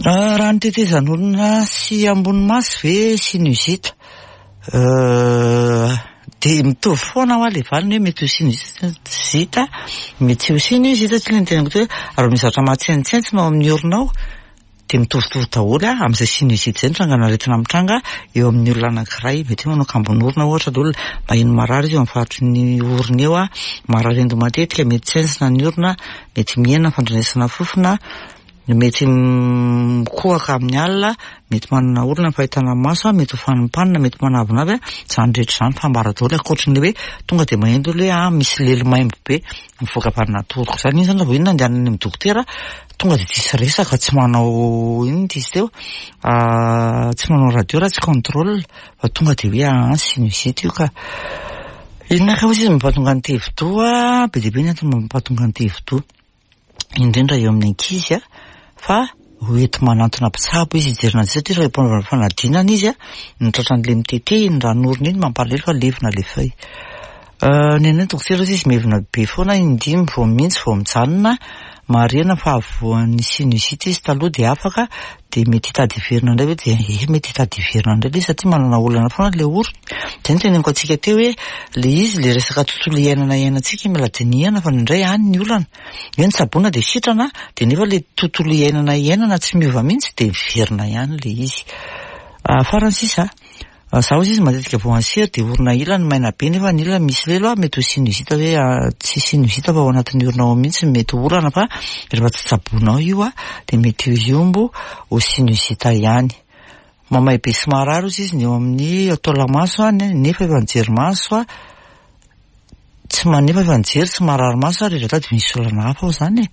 Raha ny tetezan'olona sy ambony maso ve sinusite? De mitovy foana hoa le valiny hoe mety ho sinusite, mety tsy ho sinusite, satria le niteneniko teo hoe raha misy zavatra mahatsenitsentsina ao amin'ny orona ao Dia mitovitovy daholo amin'izay sinusite izay ny trangan'aretina mitranga eo amin'ny olona anankiray. Mety hoe manao kambon'orona ohatra ilay olona, maheno marary izy eo amin'ny faritry ny orona eo, marary endo matetika, mety tsentsina ny orona, mety mihena ny fandrenesana fofona, mety mikohaka amin'ny alina, mety manana olana ny fahitana maso, mety ho fanimpanina, mety manavinavy. Izany rehetra izany fambara daholo, ankoatry ny hoe tonga dia maheno ilay hoe ah misy lelo maimbo be mivoaka avy any anaty oroko izany. Iny izany raha vao iny andehanana any amin'ny dokotera, tonga dia tsisy resaka, tsy manao inona izy teo, tsy manao radio raha tsy contrôle, fa tonga dia hoe ah sinusite io ka. Inona ka hozy izy mampatonga ny tevi-doha? Be dia be ny antony mampatonga ny tevi-doha, indrindra eo amin'ny ankizy a, fa ho enti manantona mpitsabo izy hijerena azy, satria rehefa mpanaovana fanadinana izy a, ny tratran'ilay mitete iny ran'orona iny mampalahelo fa levona ilay feuille. Ny anay dokotera izy mievina be foana, indimy vao mihitsy vao mijanona. Marihana fa voan'ny sinusite izy taloha dia afaka, dia mety hitady hiverina indray ve? Dia eh, mety hitady hiverina indray ilay izy satria manana olana foana ilay orona. Izay no teneniko antsika teo hoe ilay izy ilay resaka tontolo iainana iainantsika mila dinihana, fa indraindray any ny olana. Hoe ny tsaboina dia sitrana, dia nefa ilay tontolo iainana iainana tsy miova mihitsy dia miverina ihany ilay izy. Farany sisa, zaho izy matetika voan'ny sery dia orona ilany maina be nefa ny ilany misy lelo, mety ho sinusite hoe tsy sinusite fa ao anatin'ny orona ao mihitsy mety ho olana, fa rehefa tsy tsaboinao io a dia mety hiombo ho sinusite ihany. Mamay be sy marary ozy izy ny eo amin'ny taolamaso nefa efa nijery maso, tsy manefa efa nijery tsy marary maso ary rehefa tady misy olana hafa ao izany e.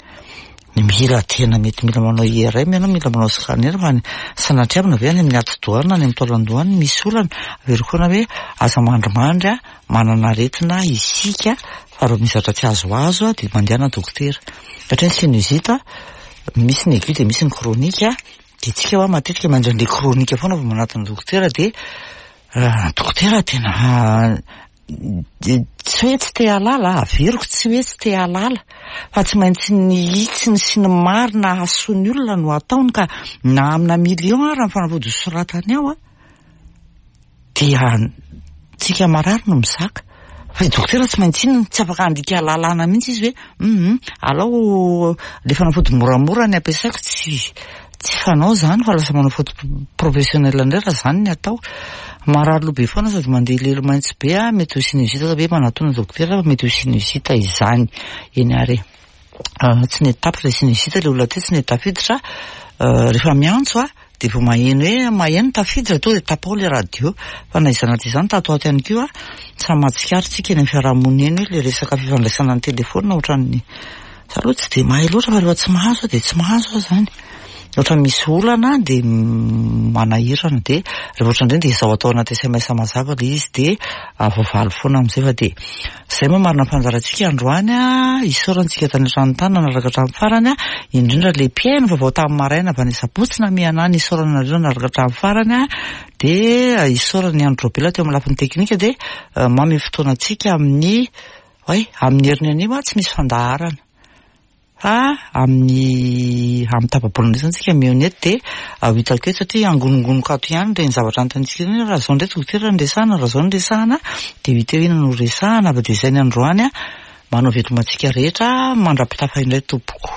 Mila tena mety mila manao I R M ianao, mila manao scanner, fa ny sanatriavina ve any amin'ny atidoha na any amin'ny taolan-doha any misy olana. Averiko foana hoe aza mandrimandry a, manana aretina isika, fa raha misy zavatra tsy azoazo a dia mandehana dokotera. Satria ny sinusite misy ny aigu dia misy ny chronique, dia tsika hoa matetika mandray an'ilay chronique foana vao manatona dokotera, dia dokotera tena tsy hoe tsy te hahalala, averiko tsy hoe tsy te hahalala, fa tsy maintsy ny hitsiny sy ny marina hahasoa ny olona no ataony, ka na amina million ary ny fanafody soratany ao a, dia tsika marary no mizaka. Fa i dokotera tsy maintsy inona, tsy afaka handika lalàna mihitsy izy hoe mhm alao le fanafody moramora ny ampiasaiko, tsy tsy fanao izany, fa lasa manao faute professionnel indray raha izany ny atao. Marary loha be foana sady mandeha lelo maitso be a, mety ho sinusite ve manatona dokotera, fa mety ho sinusite izany. Eny ary tsy nety tapitra ilay sinusite, ilay olona teo tsy nety tafiditra. Rehefa miantso a dia vao maheno hoe maheno tafiditra tonga dia tapao ilay radio. Fa na izany na izany tato ato ihany koa samy mahatsikaritra tsika eny amin'ny fiarahamonina eny hoe ilay resaka fifandraisana ny telefônina ohatran'ny za aloha tsy dia mahay loatra, fa rehefa tsy mahazo dia tsy mahazo aho izany. Ohatra misy olana dia manahirana, dia rehefa ohatran'ireny dia izao atao anaty S M S mazava ilay izy dia voavaly foana amin'izay. Fa dia izay moa marina fanjarantsika androany a, isaorantsika tany an-trano tany nanaraka hatramin'ny farany a, indrindra ilay mpihaino vaovao tamin'ny maraina avy any Sabotsy na miana any, isaorana nareo nanaraka hatramin'ny farany a, dia isaorana ny Andro Robela teo amin'ny lafiny teknika, dia manome fotoana antsika amin'ny oay amin'ny heriny anio a tsy misy fandaharana. Fa amin'ny amin'ny tapa-bolana izany tsika mihaona eto dia ho hitako eto, satria angonongonoka ato ihany ireny zavatra anontaniantsika ireny, raha izao indray dokotera no resahana, raha izao no resahana, dia ho hita eo inona no resahana. Fa dia izay ny androany a, manao veloma antsika rehetra, mandra-pitafa indray tompoko.